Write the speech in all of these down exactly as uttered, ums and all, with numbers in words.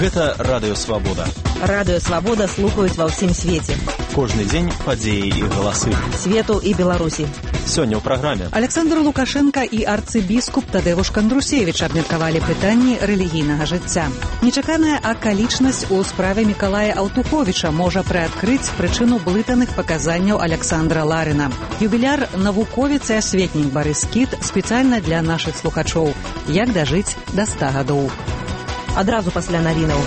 Гэта Радыё Свабода. Радыё Свабода слухаюць ва ўсім свеце. Кожны дзень падзеі і галасы. Свету і Беларусі. Сёння ў праграме. Александр Лукашенко і арцыбіскуп Тадеуш Кандрусевіч абмеркавалі пытанні рэлігійнага жыцця. Нечаканая акалічнасць у справе Мікалая Аўтуховіча можа прыадкрыць прычыну блытаных паказанняў Александра Ларына. Юбіляр навуковец і асветнік Барыс Кіт спецыяльна для нашых слухачоў. Як дажыць да ста гадоў. Адразу пасля навінаў.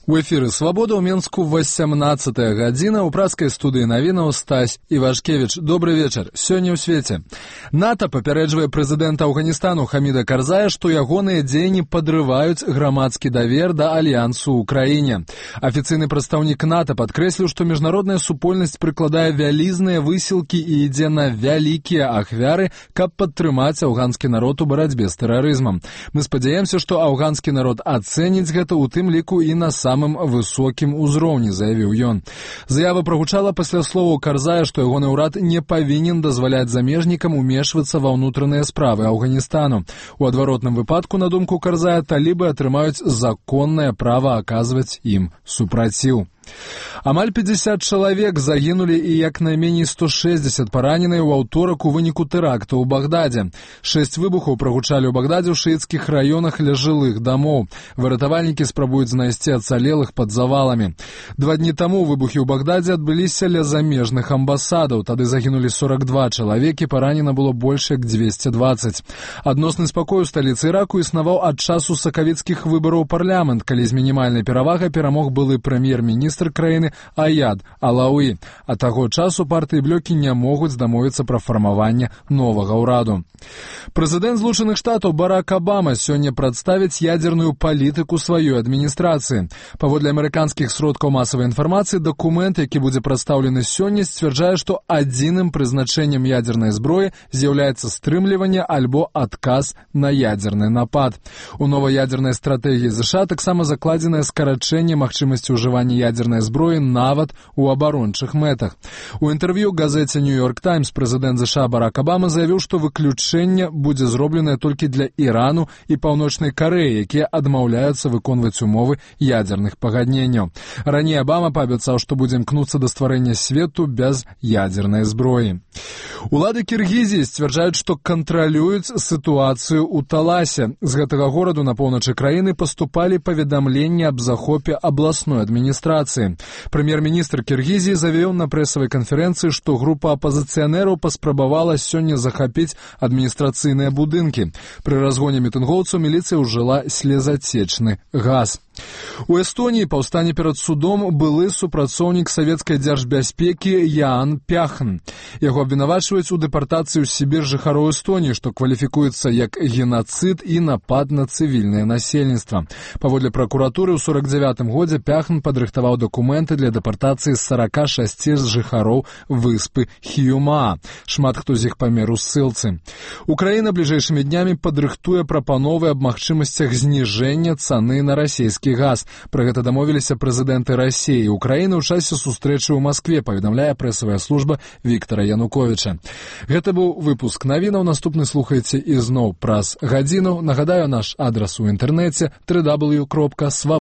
У эфіры «Свабода» ў Менску васямнаццатая гадзіна. У праскай студыі навінаў Стась Івашкевіч. Добры вечар. Сёння ў свеце. НАТО папярэджвае прэзідэнта Афганістану Хаміда Карзая, што ягоныя дзеянні падрываюць грамадскі давер да альянсу ў краіне. Афіцыйны прадстаўнік НАТО падкрэсліў, што міжнародная супольнасць прыкладае вялізныя высілкі і ідзе на вялікія ахвяры, каб падтрымаць афганскі народ у барацьбе з тэрарызмам. Мы спадзяемся, што афганскі народ ацэніць гэта, у тым ліку і на сам самым высокім узроўні, заявіў ён. Заява прагучала пасля словаў Карзая, што ягоны ўрад не павінен дазваляць замежнікам умешвацца ва ўнутраныя справы Афганістану. У адваротным выпадку, на думку Карзая, талібы атрымаюць законнае права аказваць ім супраціў. Амаль пятьдесят чалавек загінулі і як найменей сто шэсцьдзесят параненыя ў аўторак у выніку тэракта ў Багдадзе. Шэсць выбухаў прагучалі ў Багдадзе ў шыіцкіх раёнах ля жылых дамоў. Выратавальнікі спрабуюць знайсці ацалелых пад заваламі. Два дні таму выбухі ў Багдадзе адбыліся ля замежных амбасадаў. Тады загінулі сорок два чалавекі, паранена было больш як дзвесце дваццаць. Адносны спакой у сталіцы Іраку існаваў ад часу сакавіцкіх выбараў у парламент, калі з мінімальнай перавагай перамог былы прэм'ер-міністр краіны Аяд Алауі. А таго часу партыі блёкі не могуць дамовіцца пра фармаванне новага ўраду. Прэзідэнт Злучаных Штатаў Барак Абама сёння прадставіць ядзерную палітыку сваёй адміністрацыі. Паводле амерыканскіх сродкаў масавай інфармацыі, дакумент, які будзе прадстаўлены сёння, сцвярджае, што адзіным прызначэннем ядзернай зброі з'яўляецца стрымліванне альбо адказ на ядзерны напад. У новай ядзернай стратэгіі ЗША таксама закладзенае скарачэнне магчымасці ўжывання ядзернай зброі нават у абарончых мэтах. У інтэрв'ю газеце «Нью-Йорк Таймс» прэзідэнт ЗША Барак Абама заявіў, што выключэнне будзе зробленае толькі для Ірану і Паўночнай Карэі, якія адмаўляюцца выконваць умовы ядзерных пагадненняў. Раней Абама паабяцаў, што будзе імкнуцца да стварэння свету без ядзернай зброі. Улады Кіргізіі сцвярджаюць, што кантралююць сітуацыю ў Таласе. З гэтага гораду на поўначы краіны паступалі паведамленні аб захопе абласной адміністрацыі. Прэм'ер-міністр Кіргізіі заявіў на прэсавай канферэнцыі, што група апазіцыянераў паспрабавала сёння захапіць адміністрацыйныя будынкі. Пры разгоне мітынгоўцаў міліцыя ўжыла слезацечны газ. У Эстоніі паўстане перад судом былы супрацоўнік савецкай дзяржбяспекі Яан Пяхн. Яго абвінавачваюць у дэпартацыі ў Сібір жыхароў Эстоніі, што кваліфікуецца як генацыд і напад на цывільнае насельніцтва. Паводле пракуратуры, ў сорок дзявятым годзе Пяхн падрыхтаваў дакументы для дэпартацыі сорока шасці жыхароў выспы Хіюмаа. Шмат хто з іх памер у ссылцы. Украіна бліжэйшымі днямі падрыхтуе прапановы аб магчымасцях зніжэння цаны на расійскі газ. Пра гэта дамовіліся прэзідэнты Расіі і Украіны ў часе сустрэчы ў Маскве, паведамляе прэсавая служба Віктара Януковіча. Гэта быў выпуск навінаў. Наступны слухайце ізноў праз гадзіну. Нагадаю, наш адрас у інтэрнэце дабл ю дабл ю дабл ю кропка свабода.